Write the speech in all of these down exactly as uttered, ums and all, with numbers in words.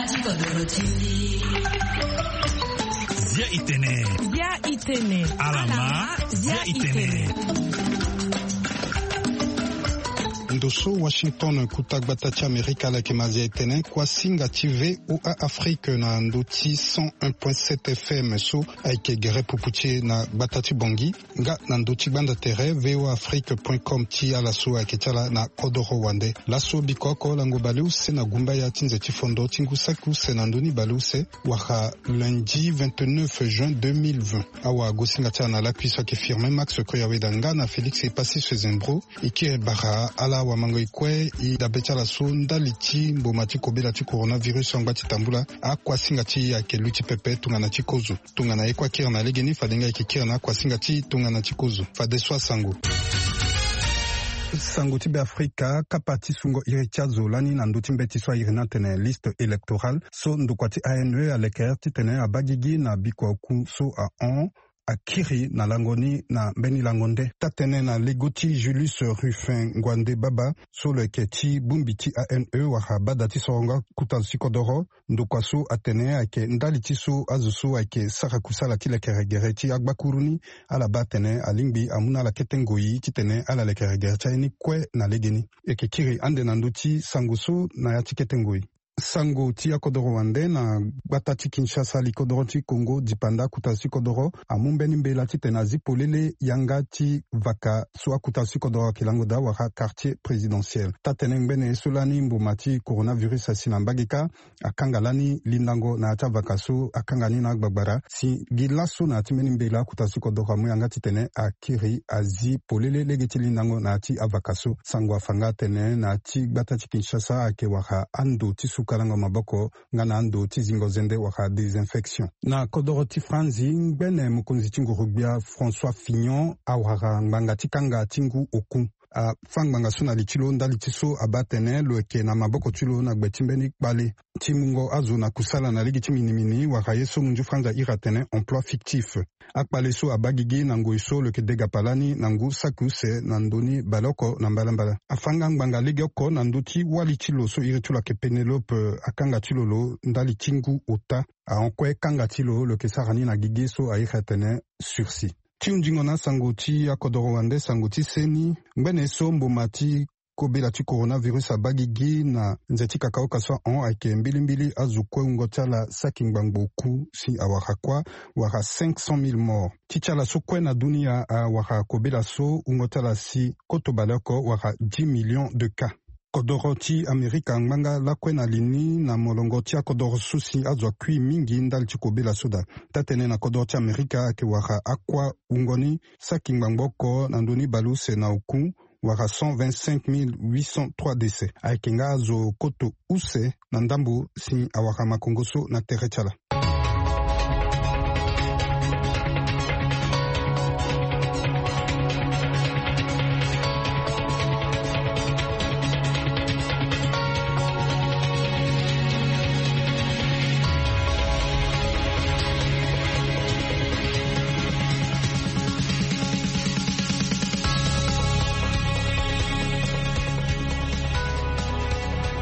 Zia itene. Zia itene. Alama. Zia itene. Ndo so Washington, kuta gbata ti Amerika, ala yeke ma zia itene. Kuasinga ti V O A Afrique na ndo ti cent un point sept F M so ayeke gere pupu ti e na gbata ti Bangui. Nga na ndo ti gbanda tere V O A Afrique point com ti ala so ayeke ti ala na kodoro wande. Laso biko oko lango baleuse na gumbaya ti nze ti fondo ti ngu saki use na ndoni baleuse, wala lundi vingt-neuf juin deux mille vingt. Awagosinga ti ala na lakui so ayeke Firmin Max Koyaweda nga na Félix Epassi Sezembro. E kiri bara ala wamango e kue e dabe ti ala so ndali ti mboma ti kobela ti coronavirus angba ti tambula. Akuasinga ti e ayeke luti pepe tongana ti kozo. Tongana e kue akiri na legeni, fade nga e yeke kiri na akuasinga ti e tongana ti kozo. Fadeso asango. Sango ti Beafrika, kapa ti sungo iri ti azo lani na ndö ti mbeti so a iri ni atene liste électorale so ndokua ti A N E alekere titene abaa gigi na bikua oku so ahon akiri na lango ni na mbeni lango nde. Taa-tënë na lego ti Julius Rufin Nguande Baba so lo yeke ti bongbi ti A N E wala bada ti sorongo akuta zo ti kodoro. Ndokua so atene ayeke ndali ti so azo so ayeke sara kusala ti lekere gere ti agbakuru ni, ala baa atene alingbi amu na ala kete ngoi titene ala lekere gere ti aye ni kue na legeni. E yeke kiri ande na ndö ti sango so na ya ti kete ngoi. Sango ti akodoro wande na gbata ti Kinshasa, li kodoro ti Congo, dipanda akuta zo ti kodoro amu mbeni mbela titene azi polele yanga ti vaka so akuta zo ti kodoro ayeke lango daa wala quartier présidentiel. Taa-tënë ngbene ye so lani mboma ti coronavirus asi na mbage kâ, akanga lani lindango na ya ti avaka so akanga ni na agbagbara. Si gi laso na ya ti mbeni mbela akuta zo ti kodoro amu yanga titene akiri azi polele lege ti lindango na ya ti avaka so. Sango afa nga atene na ya ti gbata ti Kinshasa ayeke wara ando ti sukalango maboko nga na ando ti zingo zende wala désinfection. Na kodoro ti Franzi, ngbene mokonzi ti nguru-gbia François Fillon awara ngbanga ti kanga ti ngu oku. Afâ ngbanga so na li ti lo ndali ti so abaa atene lo yeke na maboko ti lo na gbe ti mbeni kpale ti mungo azo na kusala na lege ti minimini wala ye so munzu Franzi a iri atene emploi fictif. Akpale so abaa gigi na ngoi so lo yeke degapa lani na ngu saki use na ndö ni baleoko na mbalambala. Afâ nga ngbanga legeoko na ndö ti wali ti lo so iri ti lo ayeke Pénélope, akanga ti lo lo ndali ti ngu ota. Ahon kue kanga ti lo lo yeke sara ni na gigi so a iri atene sursis. Ti hunzingo na asango ti akodoro wande, sango ti seni. Ngbene so mboma ti kobela ti coronavirus abaa gigi na nze ti kakaoka so ahon ayeke mbilimbili azo kue wungo ti ala saki ngbangbo oku si awara kuâ, wara cinq cent mille morts. Ti ti ala so kue na dunia awara kobela so wungo ti ala si koto baleoko wara dix millions de cas. Kodoro ti Amerika angba nga lakue na li ni na molongo ti akodoro so si azo akui mingi ndali ti kobela so daa. Taa-tënë na kodoro ti Amerika ayeke wara akuâ wungo ni saki ngbangbo oko na ndö ni baleuse na oku, wara cent vingt-cinq mille huit cent trois décès. Ayeke nga azo koto use na ndambo si awara makongo so na tere ti ala.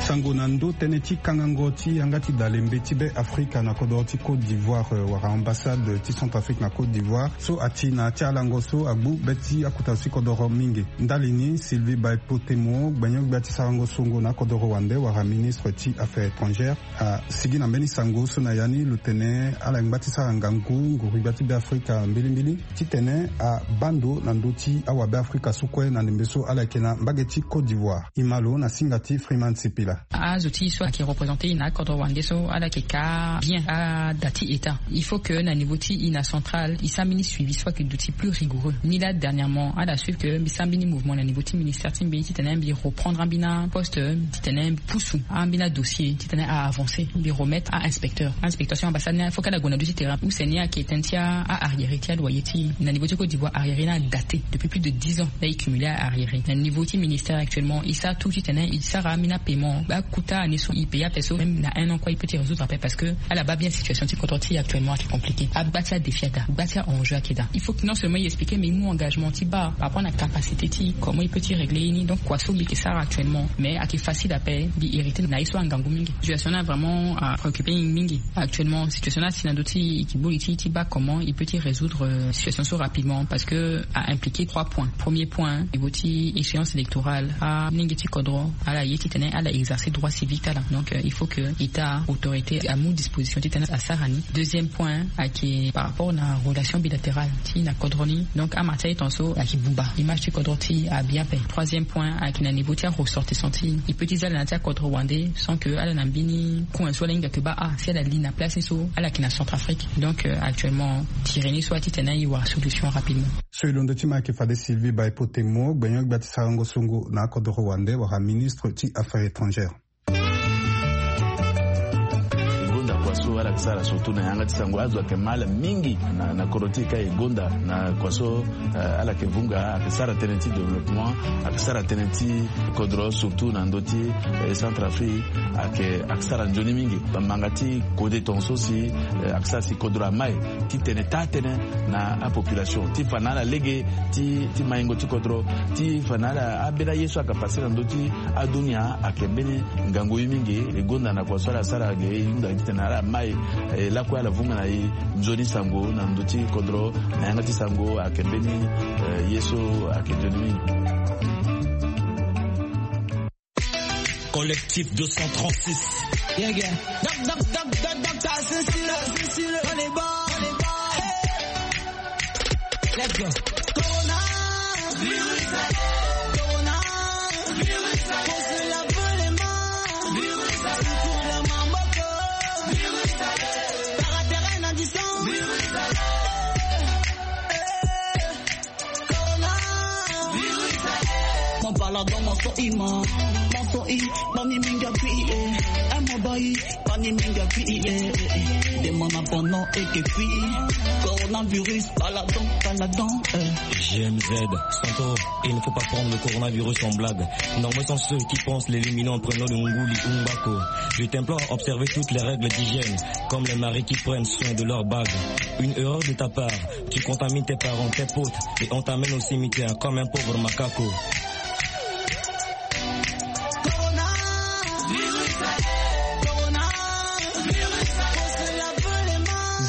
Sango na ndö tënë ti kangango ti yanga ti dalembe ti Be Afrika na kodoro ti Côte d'Ivoire, eh, wala ambassade ti Centrafrique na Côte d'Ivoire so ati na ya ti alango so agbu be ti akuta zo ti kodoro mingi. Ndali ni, Sylvie Baipotemo, gbenyo-gbia ti sarango songo na akodoro wande wala ministre ti Affaires étrangères, asigi na mbeni sango so na ya ni lo tene ala ngba ti sara ngangu nguru-gbia ti Be Afrika mbilimbili titene abaa ndo na ndö ti awabe Afrika so kue na ndembe so ala yeke na mbage ti Côte d'Ivoire. E ma lo na singa ti Freeman Sipila. Azo ti e so ayeke représenter e na akodro wande so ala yeke ka bien ada ti état. Il faut que na niveau ti e na central e sara mbeni suivi so ayeke duti plus rigoureux. Ni laa dernièrement ala suivre que mbi sara mbeni mouvement na niveau ti ministère ti mbi titene mbi reprendre ambeni aposte, titene mbi pusu ambeni adossier titene a avancer, mbi remettre a inspecteur. Inspecteur ti ambassade ni, il faut que ala gue na ndö ti terrain. Use ni ayeke tënë ti a arriéré ti aloyer ti e. Na niveau ti Côte d'Ivoire, arriéré ni adaté depuis plus de dix ans. Laa e cumulé a arriéré. Na niveau ti ministère actuellement e sara tout titene e sara ambeni apaiement. Ba Kota ane so i pe ya pe so même na un an koi i pe ti résoudre ape parce que ala ba bien situation ti kodro ti actuellement ake compliqué. Agba ti adéfi ada, gba ti a enjeu ake daa. Il faut non seulement i expliquer mais i mu engagement ti ba par rapport na capacité ti comment i pe ti régler ini donc kua so mbi ke sara actuellement mais ake facile ape. Mbi hérité na ye so angangu mingi. Situation na vraiment a préoccupé mingi actuellement situation na si na ndo ti i ki boli ti ti ba comment i pe ti résoudre situation so rapidement parce que a impliqué trois points. Premier point niveau ti échéance électorale a mingi ti kodro ala ye ti tene ala exercer droit civique ala donc il faut que état autorité amu disposition ti tene asara ni. Deuxième point ake par rapport na relation bilatérale ti na kodro ni donc ama ti aye ton so ake bumba image ti kodro ti abien pe. Troisième point ake na niveau ti aressortissant ti i pe ti za ala na ti akodro wande sans que ala na mbini coin so ala hinga ke ba a si ala li na place ni so ala ke na centrafrique. Donc actuellement tire ni so ati tene i wara solution rapidement. So e londo ti ma ake fade sylvie baepo temo gbenyo gbia ti sarango songo na akodoro wande wala ministre ti affaires étrangères. E gonda kua so ala ke sara surtout na yanga ti sango azo ake ma ala mingi na koro ti e ka e gonda na kua so ala ke vunga ake sara tënë ti développement ake sara tënë ti kodro surtout na ndö ti centrafrique ake sara nzoni mingi. Bambanga ti kode tonga so si ake sara si kodro amai ti tene taa tënë na apopulation ti fa na ala lege ti maingo ti kodro ti fa na ala ambeni aye so aka pase na ndö ti adunia ake mbeni ngangu ye mingi. E gonda na kua so ala sara ge e hunda gi tene ala mai lakue ala vunga na e nzoni sango na ndö ti kodro na yanga ti sango ake mbeni ye so ake nzoni mingi. Collectif deux cent trente-six. Yeah, yeah. Doc, doc, doc, doc, doc, t'as assassiné, assassiné, on est bon, on est bon. Hey. Let's go. Corona, virus, corona, virus, faut se laver les mains, virus, pour la mamoko, virus, paraterrain à distance, virus, G M Z, Santo, il ne faut pas prendre le coronavirus en blague. Nombreux sont ceux qui pensent l'éliminer en prenant le nguli ou mbako. Je t'implore à observer toutes les règles d'hygiène, comme les maris qui prennent soin de leur bague. Une erreur de ta part, tu contamines tes parents, tes potes, et on t'amène au cimetière comme un pauvre macaco.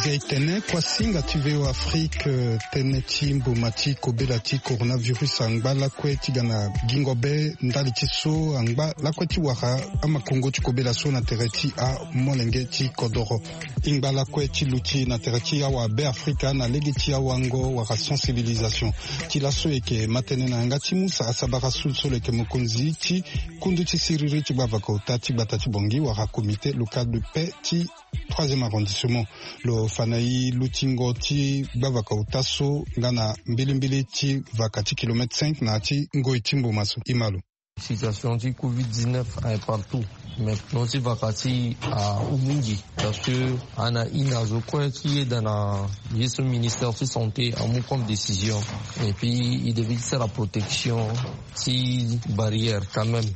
Zia e tene kuasinga ti V O Afrique, tënë ti mboma ti kobela ti coronavirus angba lakue ti ga na gingo be ndali ti so angba lakue ti wara amakongo ti kobela so na tere ti amolenge ti kodoro. Ingba lakue ti luti na tere ti awa Beafrika na lege ti awango wala sensibilisation. Ti laso e yeke ma tënë na yanga ti mu sara sabara sulsolo e yeke mokonzi ti kundu ti siriri ti gbavaka ota ti gbata ti Bangui wala comité local de paix ti troisième arrondissement. Lo fa na e lutingo ti gbavaka ota so nga na mbilimbili ti vaka ti kilomètre cinq na ya ti ngoi ti mboma so. E ma lo. Situation ti covid dix-neuf aye partout, mais non ti vaka ti e ahu mingi. Parce que ana ina zo kue ti yeda na ye so ministère ti santé amu comme décision, et puis il devait ti sara protection ti barrière quand même.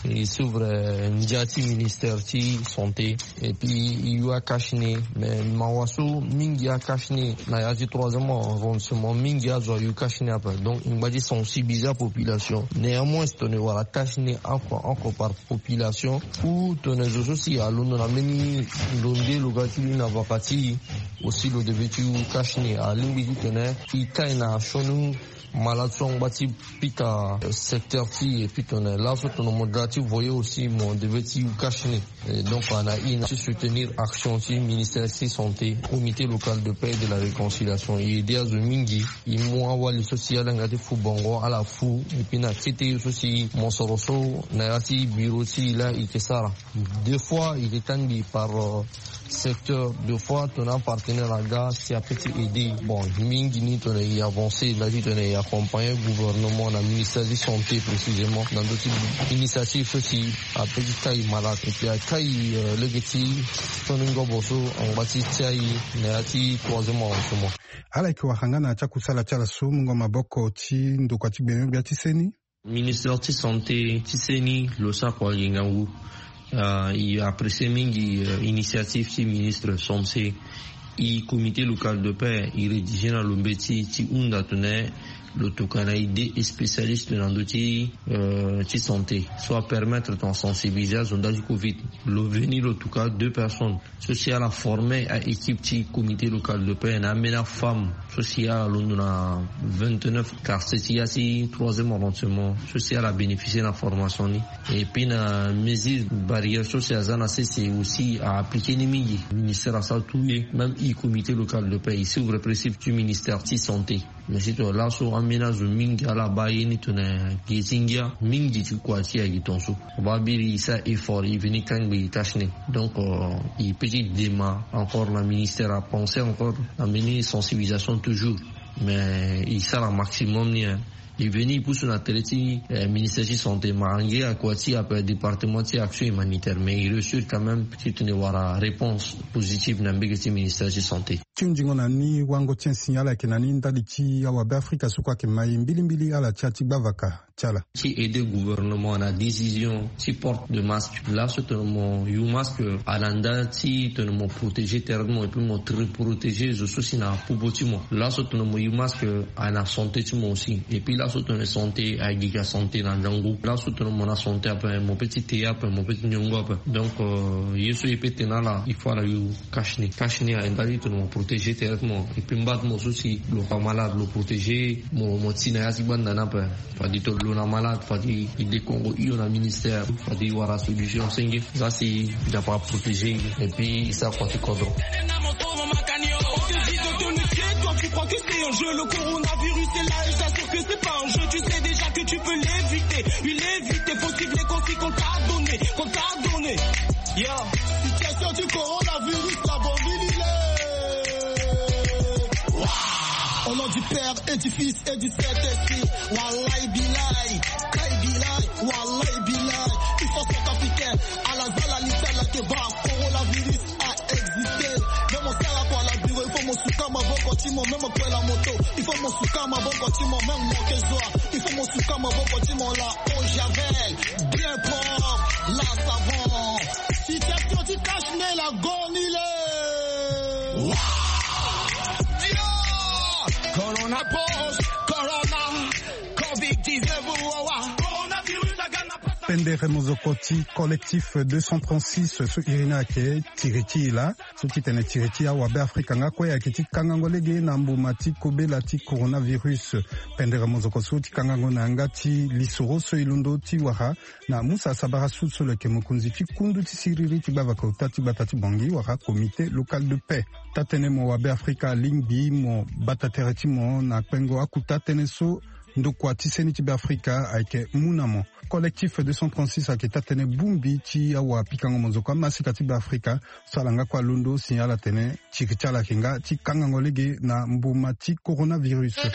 E suivre ndia ti ministère ti santé, et puis e yu akashine. Mais mawa so mingi akashine na ya ti troisième arrondissement mingi azo ayu kashine ape. Donc e ngba ti sensibiliser apopulation. Néanmoins si tone wara kashine encore encore par population ou tone zo so si alondo na mbeni lo nde lo ga ti lu na vaka ti e, aussi lo deve ti yu kashine. Alingbi ti tene e kai na sioni malade so angba ti pika secteur ti e. Puis tone laso tone mo ga ti voye aussi mo deve ti yu kashine. Donc ana ina ti soutenir action ti ministère ti santé, comité local de paix et de la réconciliation, e ede azo mingi. E mu awali so si ala yanga ti fu bongo ala fu. Et puis na kete so si mosoro so na ya ti bureau ti e laa e ke sara. Deux fois e ke kangbi par secteur. Deux fois tona partenaire aga si ape ti aider. Bon, mingi ni tona e avancer nda ti tona e accompagner gouvernement na ministère ti santé précisément na ndo ti initiative so si ape ti kai malade et puis akai lege ti sioni ngobo so angba ti tia e na ya ti troisième arrondissement. Ala yeke wara nga na ya ti akusala ti ala so mungo maboko ti ndokua ti gbenyo-gbia ti seni. Ministère ti santé ti seni lo sara kua gi ngangu. Ah, e apprécier mingi, euh, initiative ti ministre Sampse. E comité local de paix e rédiger na lo mbeti ti hunda tene lo tokua na e deux spécialistes na ndö ti, euh, ti santé, so apermettre tongana sensibiliser azo nda ti covid. Lo veni lo tokua deux personnes so si ala former a-équipe ti comité local de paix na ambeni afemme so si ala londo na vingt-neuf quartier ti ya ti troisième arrondissement so si ala bénéficier na formation ni. Et puis na mesure barrière so si aza na sese aussi a appliquer ni mingi. Ministère asara tout ye, même e comité local de paix e suivre principe ti ministère ti santé. Mais si tongana laso ambeni azo mingi ala baa ye ni tongana gi ti ngia mingi ti kua ti ayeke tongaso. Babiri e sara effort e veni kangbi e tâche ni. Donc, euh, e peut ti dema encore na ministère apenser encore na mbeni sensibilisation toujours. Mais e sara maximum ni, hein. E veni e pusu na tere ti, eh, ministère ti santé, ma ange akua ti ape département ti action humanitaire, mais e réussir quand même ti tene wara réponse positive na mbege ti ministère ti santé. Ti hunzingo na ni wango ti un signal ayeke na ni ndali ti awabe afrika so kue ayeke mai mbilimbili ala ti ya ti gbavaka ti ala. Ti aider gouvernement na décision ti porte de masque. Laso tene mo yu masque, ala nda ti tene mo protéger tere ti mo et puis mo très protéger zo so si na popo ti mo. Laso tene mo yu masque, ayeke na santé ti mo aussi. Et puis laso tene santé ayeke gi ka santé na ndangu. Laso tene mo na santé ape mo peut ti te ape, mo peut ti nyongo ape. Donc, euh, ye so e peut tene ala, il faut ala yu cache-nez. Cache-nez ayeke ndali tene mo protéger tere ti mo. Et puis mba ti mo so si lo fa malade lo protéger mo, mo ti na ya ti gbanda ni ape. Fade tongana lo na malade, fade e dekongo hio na ministère, fade e wara solution senge. Za si e dapa protéger e, et puis e sara kua ti kodro. Toi, tu crois que c'est un jeu, le coronavirus est là et j'assure que c'est pas un jeu. Tu sais déjà que tu peux l'éviter, oui, l'éviter. Faut suivre les consignes qu'on t'a données, qu'on t'a données. Yeah. Situation du coronavirus, la bambine, il est. Waouh. Au nom du Père et du Fils et du Saint-Esprit. Wallahi billahi, kai billahi, wallahi billahi. Il faut centrafricain, à la zala l'Italie, que va, coronavirus a existé. Même au Sahara, quoi, la bureau, il faut mon soukama, bon, continent, même au la moto. Il faut mon soukama, bon, continent, même mon que soit. Il faut mon soukama, bon, continent, là, au javel, bien propre, là, savon. Si t'es sorti, cache-nez, la gonile. Corona post, corona, covid dix-neuf, wawa. Coronavirus, la gana. Pendere mozoko ti collectif deux cent trente-six so iri ni ayeke tiri ti e laa, so ti tene tiri ti awabe afrika nga kue ayeke ti kangango lege na mbuma ti kobela ti coronavirus. Pendere mozoko so ti kangango na yanga ti lisoro so e londo ti wara na Musa Sabara Sud so lo yeke mokonzi ti kundu ti siriri ti gbavaka ota ti gbata ti Bangui wala comité local de paix. Taa-tënë mo wabe afrika alingbi mo bata tere ti mo na kpengo akuta tënë so ndokua ti seni ti Beafrika ayeke mu na mo. Collectif deux cent trente-six ayeke taa-tënë bongbi ti awapikango mozoko amasika ti Beafrika so ala nga kue alondo si ala tene tiri ti ala ayeke nga ti kangango lege na mbuma ti coronavirus.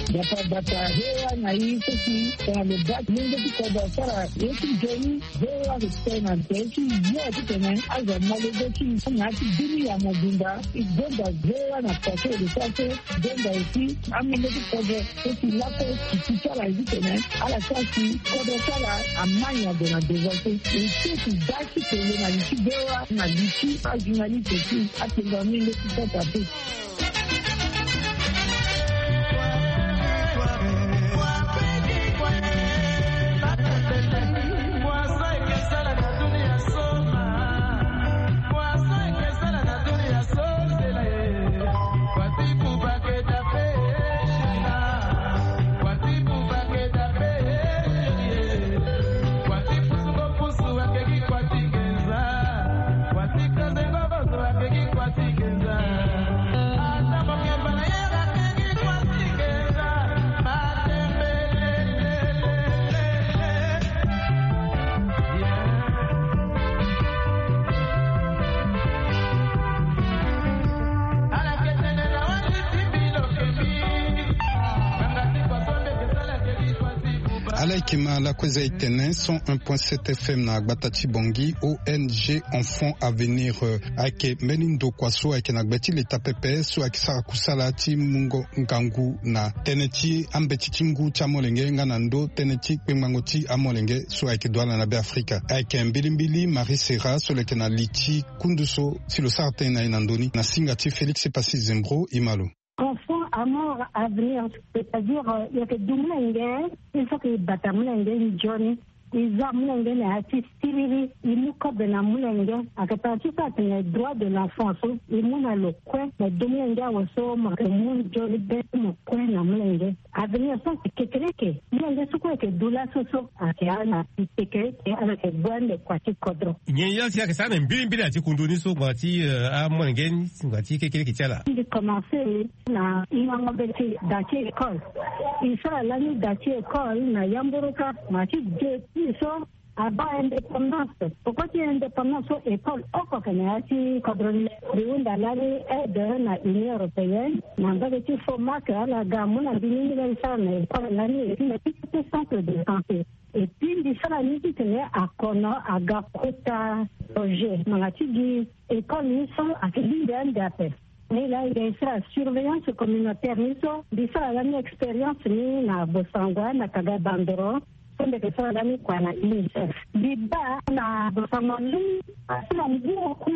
Bata bata, V O A na i so si tongana lo baa ti lenge ti kodro asara ye ti nzoni, V O A ayeke tene na tere ti yo titene azo amolenge ti na ya ti bini ya mobimba. E gonda V O A na poto e lo sara so gonda aussi amolenge ti kodro so si laso si ti ti ala ye titene ala sara si kodro ti ala amai na gue na devant so. E so si daa ti tene na li ti V O A na li ti ajournaliste aussi atene na amolenge ti kodro ape. Kima lakueza etene cent un point sept F M na gbata ti Bangui, O N G Enfant Avenir, euh, ayeke mbeni ndokua so ayeke na gbe ti leta pepe so ayeke sara kusala ti mungo ngangu na tënë ti ambeti ti ngu ti amolenge nga na ndö tënë ti kpengbango ti amolenge so ayeke duala na Beafrika. Ayeke mbilimbili Marie Serra so lo yeke na li ti kundu so si lo sara tënë na e na ndö ni na singa ti Félix Passy Zembro. E ma lo. Enfant Amour Avenir, c'est-à-dire, euh, e yeke du molenge, il faut que e bata molenge nzoni. E za molenge na ya ti siriri, e mu kobe na molenge. Ayeke tara ti so atene droit de l'enfant so e mu na lo kue na du molenge awe so mo yeke mu nzoni be ti mo kue na molenge. Avenir so ayeke kekereke. Molenge so kue ayeke du laso so ayeke ala na kekereke, ala yeke gue ande kua ti kodro. Nyen ye si ayeke sara na mbilimbili na ya ti kundu ni so ngbanga ti, euh, amolenge ni, ngbanga ti kekereke ti ala? Mbi commencé na hingango be ti da ti école. E sara lani da ti école na yamboroka, ma ti depuis so abaa indépendance. Poko ti indépendance so école oko ayeke na ya ti kodro ni. Mbi hunda lani aide na Union européenne na mbage ti Fomac, ala ga amu na mbi ni, ni lani sara na école lani, et puis na ti centre de santé. Et puis mbi sara ni titene akono aga kota projet ngbanga ti gi école ni so ayeke lingbi ande ape. Ni laa e ga e sara surveillance communautaire ni so, mbi sara lani expérience ni na Bossangoa, na Kaga Bandoro, so mbi yeke sara lani kua na UNICEF. Mbi baa na Bossangoa lani, asi na ngu oku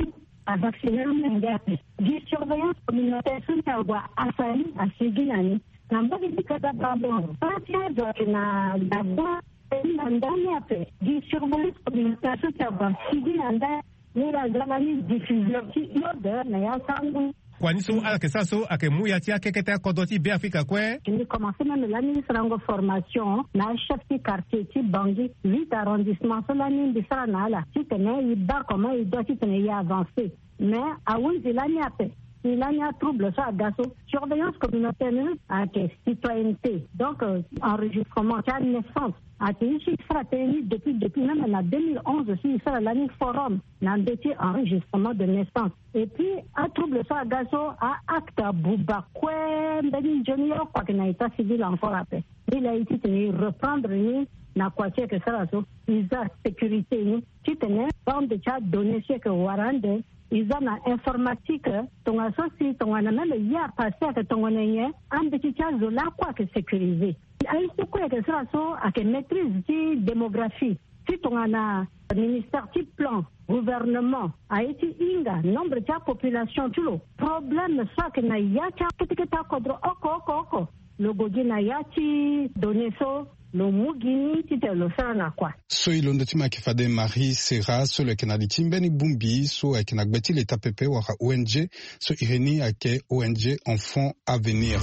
avacciner amolenge ape. Gi surveillance communautaire so ni ague asali asigi na ni. Na mbage ti Kaga Bandoro, so ti azo ayeke na Gabon, e na ndani ape. Gi surveillance communautaire so ti ague asigi na ndani. Ni la za lani diffusion ti iode na ya sango. Kua ni so ala yeke sara so ayeke mu ya ti akekete akodro ti Beafrika kue. Mbi commencé même lani sarango formation na achef ti quartier ti Bangui, huit arrondissement so lani mbi sara na ala titene e baa comment e doit titene e avancer. Mais ahunzi lani ape, si lani atrouble so aga so, surveillance communautaire ni ayeke citoyenneté. Donc, euh, enregistrement ti anaissance. Ayeke e si e sara tënë ni depuis, depuis même na deux mille onze si e sara lani forum na ndö ti enregistrement de naissance. Et puis atrouble so aga so, a-acte abuba kue mbeni nzoni oko ayeke na état civil encore ape. Ni laa e titene e reprendre ni na kua ti e yeke sara so, e za sécurité ni titene bande ti adonnée so e yeke wara ande, e za na informatique, tongana so si tongana même ye apassé ayeke tongana nyen, ambeti ti azo lakue ayeke sécurisé. Aye so kue ayeke sara so ayeke maîtrise ti démographie. Si tongana ministère ti plan, gouvernement, aye ti hinga nombre ti apopulation ti lo, problème so ayeke na ya ti akete kete akodro oko oko oko, lo gue gi na ya ti données so, lo mu gi ni titene lo sara na kua. So e londo ti ma ayeke fade Marie Serra so lo yeke na li ti mbeni bongbi so ayeke na gbe ti leta pepe wala O N G, so iri ni ayeke O N G Enfant Avenir.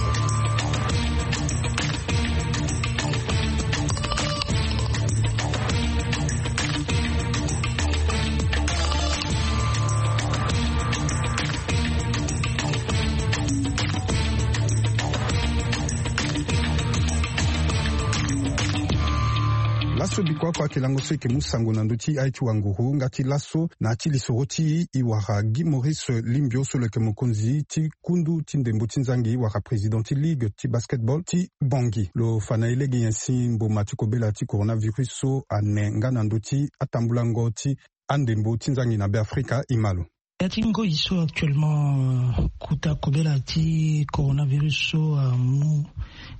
Laso bikua oko ayeke lango so e yeke mu sango na ndö ti aye ti wanguru nga ti laso na ya ti lisoro ti e, e wara Guy Maurice Limbio so lo yeke mokonzi ti kundu ti ndembo ti nzangi wala président ti ligue ti basketball ti Bangui. Lo fa na e lege nyen si mboma ti kobela ti coronavirus so ane nga na ndö ti atambulango ti andembo ti nzangi na Beafrika. E ma lo. Ya ti ngoi so actuellement, euh, kota kobela ti coronavirus so amu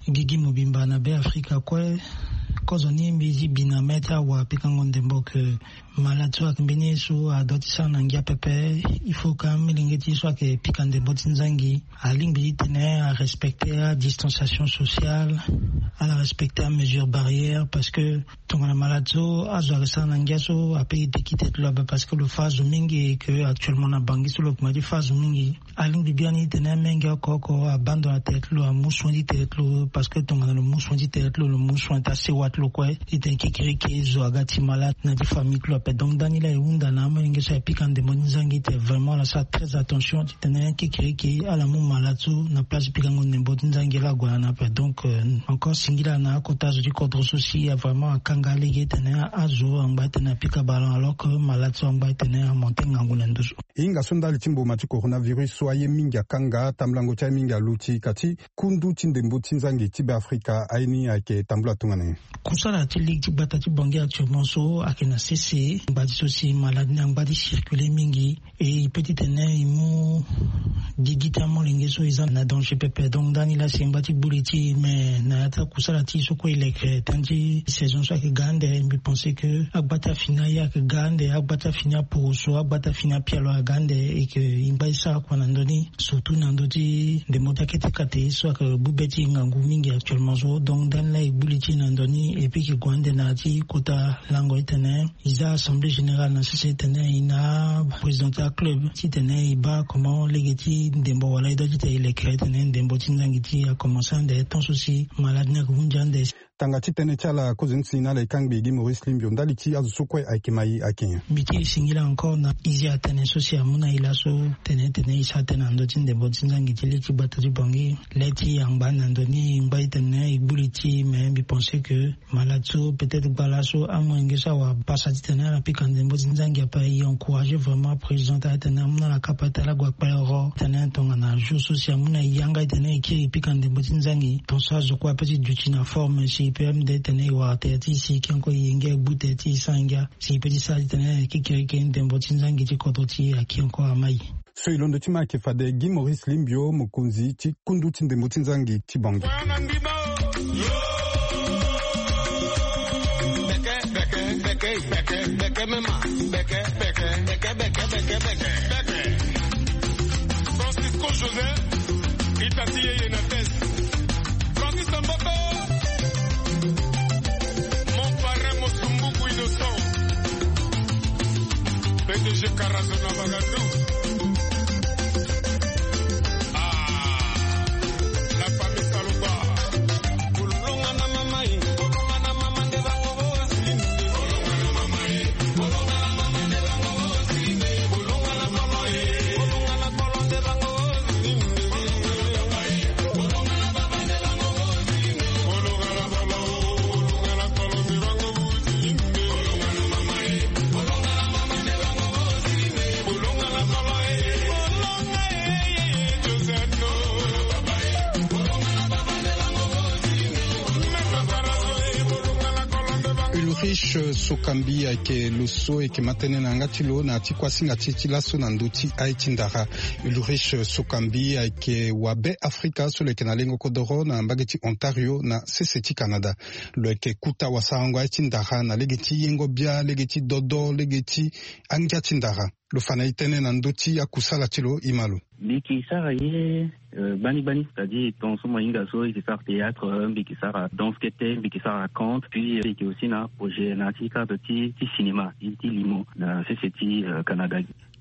gigi mobimba na Beafrika kue. Kozo ni mbi ti bi na mê ti awa pikango ndembo ke malade so ayeke mbeni ye so adua ti sara na ngia pepe. Il faut ka amolenge ti ye so ayeke pika ndembo ti nzangi alingbi titene arespecter adistanciation sociale, ala respecter amesure barrière, parce que tongana malade so azo ayeke sara na ngia so ape e deki tete lo ape, parce que lo fa azo mingi, et que actuellement na Bangui so lo koma ti fa azo mingi. Alingbi biani titene amenge oko oko abandon na tere ti lo, amu soin ti tere ti lo, parce que tongana lo mu soin ti tere ti lo, lo mu soin ti asewa ti lo kue, titene kekereke zo aga ti malade na ti famille ti lo ape. Donc ndani laa e hunda na amolenge so ayeke pika ndembo ti nzangi titene vraiment ala sara très attention titene kekereke ala mu malade so na place ti pikango ndembo ti nzangi laa ague na ni ape. Donc, euh, encore singila na akota zo ti kodro so si a vraiment akanga lege titene azo angba titene apika ballon, alors que malade so angba titene amonte ngangu na ndo so. Hinga so ndali ti mboma ti coronavirus so aye mingi akanga, tambulango ti aye mingi aluti, ka ti kundu ti ndembo ti nzangi ti Beafrika aye ni ayeke tambula tongana nyen? Kusala ti lege ti gbata ti Bangui actuellement so ayeke na sese. Ngba ti so si malade ni angba ti circuler mingi, e e peut titene e mu gigi ti amolenge so e za na danger pepe. Donc ndani laa si e ngba ti gbu li ti e, mais na ya ti akusala ti e so kue e leke, temps ti saison so ayeke ga ande, mbi pense que agba ti afini aye ayeke ga ande, agba ti afini aporoso, agba ti afini apialo aga ande, e ke e ngba ti sara kua na ndö ni, surtout na ndö ti ndembo ti akete kate so ayeke gbu be ti e ngangu mingi actuellement so. Donc ndani laa e gbu li ti e na ndö ni, e peut e ke gue ande na ya ti kota lango titene e za assemblée générale na sese titene e na président ti aclub titene e baa comment lege ti ndembo wala e doit titene e leke titene ndembo ti nzangi ti e akomanse ande, tant so si malade ni ayeke hunzi ande. Tanga ti tënë ti ala kozoni si na ala e kangbi Guy Maurice Limbio ndali ti azo so kue ayeke ma e ayeke nyen? Mbi ti e singila encore na izi atene so si amu na e laso tene titene e sara tënë na ndö ti ndembo ti nzangi ti lege ti gbata ti Bangui. Le ti e angba na ndö ni, e ngba titene e gbu li ti e, mais mbi pense que malade so peut-être gba laso amolenge so awara pasa titene ala pika ndembo ti nzangi ape. E encourager vraiment président ti ala titene amu na ala kapa ti ala gue akpale oro titene tongana jour so si amu na e yanga titene e kiri e pika ndembo ti nzangi. Ton so azo kue ape ti duti na forme si e peut même de titene e wara tere ti e si e ke encore e yenge agbu tere ti e sans yenge, si e peut ti sara titene e kiri kiri ndembo ti nzangi ti kodro ti e ayeke encore ama e. So e londo ti ma ayeke fade Guy Maurice Limbio, mokonzi ti kundu ti ndembo ti nzangi ti Bangui. Francisco Joseph, Itati Yeye na test. Francis Mboto, mon parrain Mosumbuku Innocent, P D G Karazo na Bagandou. Ah, la famille Saloba. Ulrich Sokambi ayeke lo so e yeke ma tënë na yanga ti lo na ya ti kuasinga ti e ti laso na ndö ti aye ti ndara. Ulrich Sokambi ayeke wabe Afrika so lo yeke na lengo kodoro na mbage ti Ontario na sese ti Canada. Lo yeke kuta wasarango aye ti ndara na lege ti yengo bia, lege ti dodo, lege ti angia ti ndara. Lo fa na e tënë na ndö ti akusala ti lo, e ma lo. Mbi yeke sara ye, euh, gbani gbani, c'est-à-dire ton so mo hinga so e yeke sara théâtre, euh, mbi yeke sara danse kete, mbi yeke sara conte, puis, euh, e yeke aussi na projet na ya ti cadre ti, ti cinéma, ti, ti limo na sese ti, euh, Canada.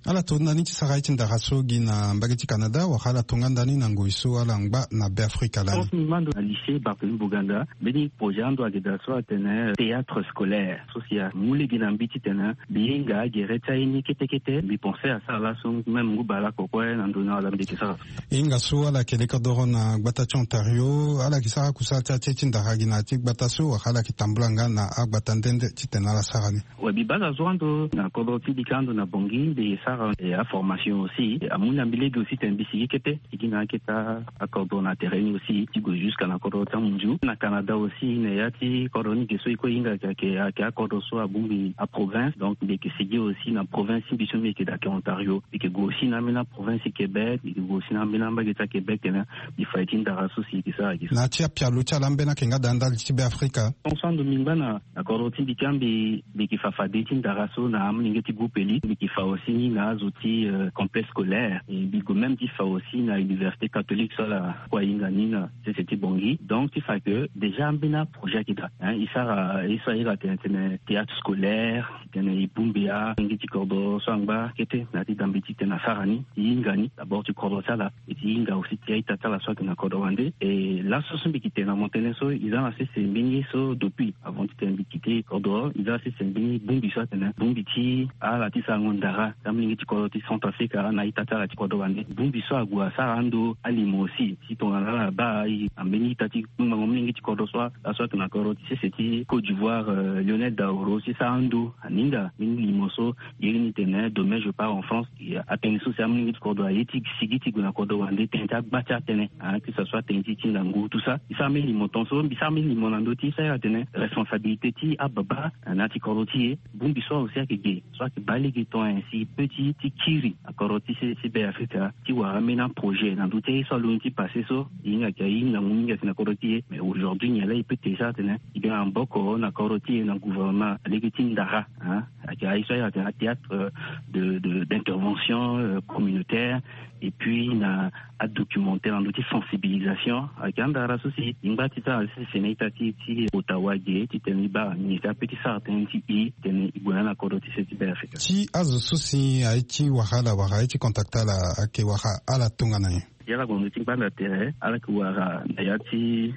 Ala to ndani ti sara ye ti ndara so gi na mbage ti Canada, wala ala to nga ndani na ngoi so ala ngba na Beafrika lani? Ton so mbi ma ndo na lycée Barthélemy Boganda, mbeni projet ando ayeke daa so atene théâtre scolaire. So si amu lege na mbi titene mbi hinga agere ti aye ni kete kete, mbi pense asara laso même ngu bale oko kue na ndo ni ala mbi yeke sara. E hinga so ala yeke lekere doro na gbata ti Ontario, ala yeke sara kusala ti aye ti ndara gi na ya ti gbata so, wala ala yeke tambula nga na agbata nde nde titene ala sara ni? Ouais, mbi baa azo ando na kodro ti mbi ka ando na Bangui, mbi sara, eh, aformation aussi. Amu na mbi lege aussi titene mbi sigi kete, sigi na akete akodro na terrain ni aussi, ti gue jusqu'à na kodro ti amunzu. Na Canada aussi, na ya ti kodro ni ge so e kue e hinga ayeke, ayeke akodro so abongbi aprovince. Donc mbi yeke sigi aussi na province ti mbi so mbi yeke daa ayeke Ontario. Mbi yeke gue aussi na ambeni aprovince ti Québec, mbi yeke gue aussi na ambeni ambage ti aQuébec, tene mbi fa ye ti ndara so si e yeke sara gi. Na ya ti apialo ti ala ambeni ayeke nga daa ndali ti Beafrika? Ton so ando mbi ngba na na kodro ti mbi ti ambi, mbi yeke fa fade ti ndara so na amolenge ti groupe eli. Mbi yeke fa aussi ni na azo ti, euh, complexe scolaire. E mbi gue même ti fa aussi na université catholique so ala kue ahinga ni na sese ti Bangui. Donc ti fa que déjà ambeni aprojet ayeke daa, hein, e sara, e so a iri atene, tene théâtre scolaire, tene e bongbi alenge ti kodro so angba kete na ya ti dambe titene asara ni, e hinga ni d'abord ti kodro ti ala. E ti hinga aussi ti a-ita ti ala so ayeke na kodro wande. E laso so mbi yeke tene na mo tënë so, e za na sese mbeni ye so depuis, avant titene mbi kite kodro, e za na sese mbeni bongbi so atene bongbi ti ala ti sarango ndara ti ambeni Mingi ti kodro ti Centrafrique na ita ti ala ti kodro wande. Bongbi so ague asara ando alimo aussi ti tongana ala baa e na mbeni ita ti kpungbango mingi ti kodro so, laso ayeke na kodro ti sese ti Côte d'Ivoire, euh, Lionel Daoro, si sara ando aninga mbeni limo so. Iri ni tene demain je pars en France. Atënë so si amolenge ti kodro aye ti sigi ti gue na kodro wande tënë ti agba ti atënë, hein, que ce soit tënë ti ti ngangu tout ça. E sara mbeni limo tongaso, mbi sara mbeni limo na ndö ti e, e sara ira tene responsabilité ti ababa na ya ti kodro ti e. Bongbi so aussi ayeke ge so ayeke baa lege ton, ainsi peut ti ti kiri na kodro ti se ti Be Afrika ti wara ambeni aprojet na ndö ti aye so alondo ti passé so. E hinga ayeke aye ngangu mingi ayeke na kodro ti e. Mais aujourd'hui nyen laa e peut te sara tene e ga na maboko na kodro ti e na gouvernement na lege ti ndara, hein. Ayeke aye so ayeke atene athéâtre, euh, de, de, d'intervention, euh, communautaire, et puis na adocumentaire na ndö ti sensibilisation. Ayeke andara so si e ngba ti sara sese na ita ti e ti Ottawa ge titene e baa nyen si ape ti sara tënë ti e titene e gue na ni na kodro ti se ti Be Afrika. Ti azo so si aye ti wara ala wala aye ti contacter ala ayeke wara ala tongana nyen? Ya ala gue na ndö ti gbanda tere, ala yeke wara na ya ti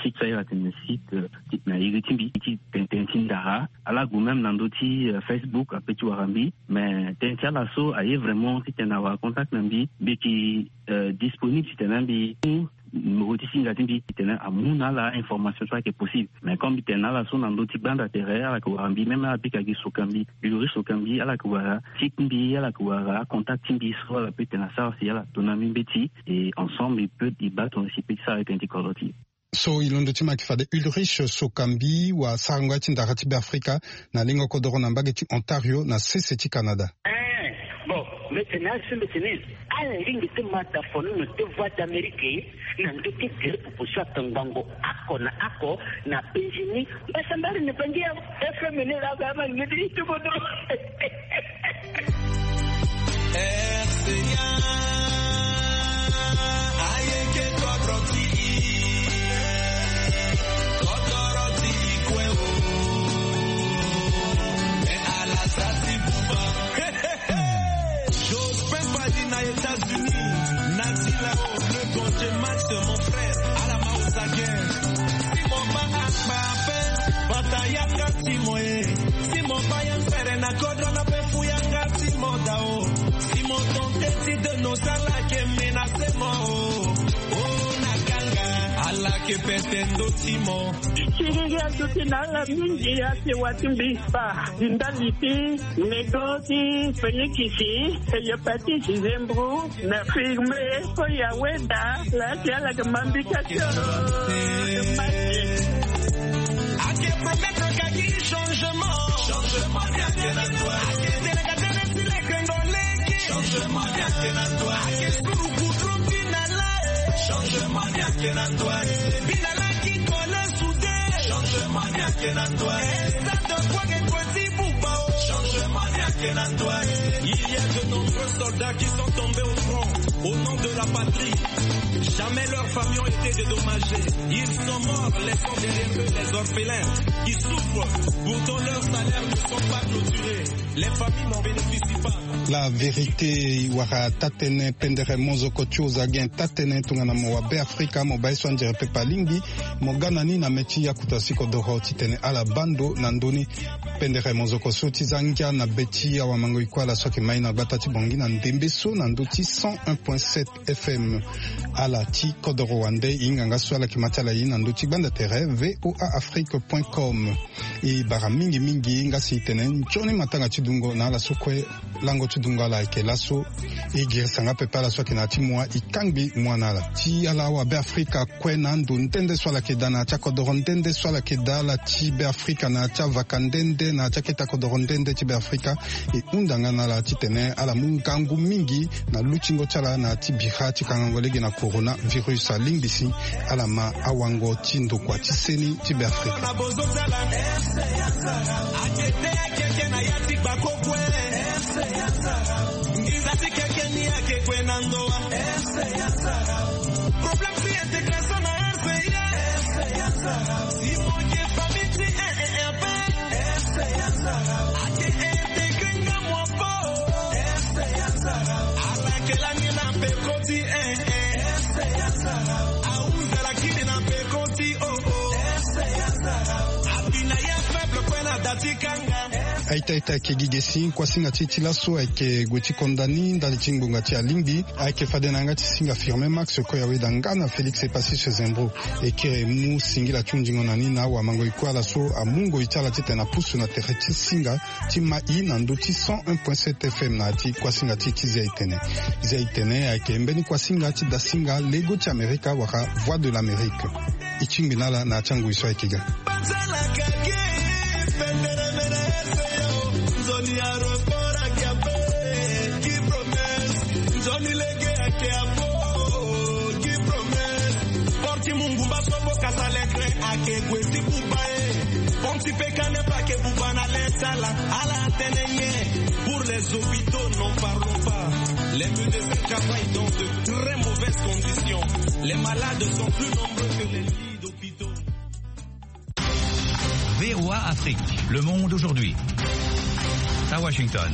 site so ayeke atene site, euh, ti na iri ti mbi ti tene tënë ti ndara. Ala gue même na ndö ti, euh, Facebook ape ti wara mbi. Mais tënë ti ala so aye vraiment titene awara contact na mbi, mbi yeke, euh, disponible titene mbi mu numéro ti singa ti mbi titene amu na ala information so ayeke possible. Mais comme mbi tene na ala so na ndö ti gbanda tere, ala yeke wara mbi, même ala bika gi Sokambi, Ulrich Sokambi, ala yeke wara site ti mbi, ala yeke wara contact ti mbi so ala peut tene asara si ala to na mbi mbeti, et ensemble e peut e baa tongana si e peut ti sara tënë ti kodro ti e. So e londo ti mo ayeke fade Ulrich Sokambi wa sarango ya ti ndara ti Be Afrika na lengo kodoro na mbage ti Ontario na sese ti Canada. Eh, bon, mbi tene asi mbi tene ala lingbi ti mata fono na te Voix d'Amérique na ndö ti gere popo so atongbango oko na oko na penzi ni. Mbasambari ni bangi ya F M ni la ga ma ngedi ti bodo. R C A, ayeke kodro ti e, kodro ti e kue o. Me ala sa ti buba. Jospin Fadi na États-Unis, Nazi Lao, le Gonje Max, mon frère, ala ma osagen. Si mo banga kpa ape, bata yaka ti mo e. Si mo baa ya mpere na kodro na pe fu yanga ti mo dao. Si mo tente ti de no sala ke menase mo o. O na kanga ala ke pete ndo ti mo. Siriri aduti na ala mingi ase wa ti mbi kpa. Ndali ti nego ti Félix, hépatite, zembro, na firme, oyo aweda laa ti ala yeke ma mbi ka ti oro. Ake promettre kaki changement. Changement ni ake na toi. Ake tene ka tene ti leke ndo leke. Changement ni ake na toi. Ake suru goudron ti na la. Changement ni ake na toi. Bi na la ki kole soude. Changement ni ake na toi. Stade de Kouaké Koueti Bouba o. Changement ni ake na toi. Il y a de nombreux soldats qui sont tombés au front au nom de la patrie. Jamais leurs familles ont été dédommagées. Ils sont morts, laissant derrière eux les orphelins qui souffrent. Pourtant, leurs salaires ne sont pas clôturés. Les familles n'en bénéficient pas. La vérité, wara taa-tënë pendere mozoko ti ozagen taa-tënë tongana mo wa Be Afrika, mo baa ye so anzere pepe alingbi mo ga na ni na mê ti akuta si kodoro titene ala baa ndo na ndö ni. Pendere mozoko so ti za ngia na be ti awamango-iko ala so ayeke ma ye na gbata ti Bangui na ndembe so na ndö ti cent un point sept F M. Ala ti kodoro wande e hinga nga so ala yeke ma ti ala ye na ndö ti gbanda tere V O A Afrique point com. E bara mingi mingi nga si e tene nzoni matanga ti dungo na ala so kue lango ti dungo ala ayeke laso. E girisa nga pepe ala so ayeke na ya ti mua e kangbi mua na ala. Ti ala awa Be Afrika kue na ando nde nde so ala yeke daa na ya ti akodoro nde nde so ala yeke daa, ala ti Be Afrika na ya ti avaka nde nde na ya ti akete akodoro nde nde ti Be Afrika. E hunda nga na ala titene ala mu ngangu mingi na lutingo ti ala na ya ti bira ti kangango lege na coronavirus. Alingbi si ala ma awango ti ndokua ti seni ti Be Afrika. Problème ti intégration na R C A. Si mo yeke famille ti un et un pe. Ake intégré nga mo ape. Ala yeke lani na peko ti un. Ahunzi ala kiri na peko ti o. Abi na ya faible kue na da ti kanga. Aita aita ayeke gi ge si kuasinga ti e ti laso ayeke gue ti konda ni ndali ti ngbonga ti alingbi. Ayeke fade na yanga ti singa Firmin Max, koya weda nga na Félix Epacius Zembro, e kiri mu singila ti hunzingo na ni na awamango e kue ala so amu ngoi ti ala titene apusu na tere ti singa ti mai na ndö ti cent un point sept F M na ya ti kuasinga ti e ti Zia Etene. Zia Etene ayeke mbeni kuasinga ti dasinga lego ti Amerika wala Voix de l'Amérique. E tingbi na ala na ya ti angoi so ayeke ga. Nzoni aéroport ake ape, ki promesse. Nzoni lege ake apo, ki promesse. Porte ti mungumba so bo kasa lettre ake gue ti buba e. Pont ti Pekanepa ake buba na lettre ala, ala atene nyen? Pour les hôpitaux, n'en parlons pas. Les médecins travaillent dans de très mauvaises conditions. Les malades sont plus nombreux que les lits d'hôpitaux. V O A Afrique, le monde aujourd'hui. À Washington.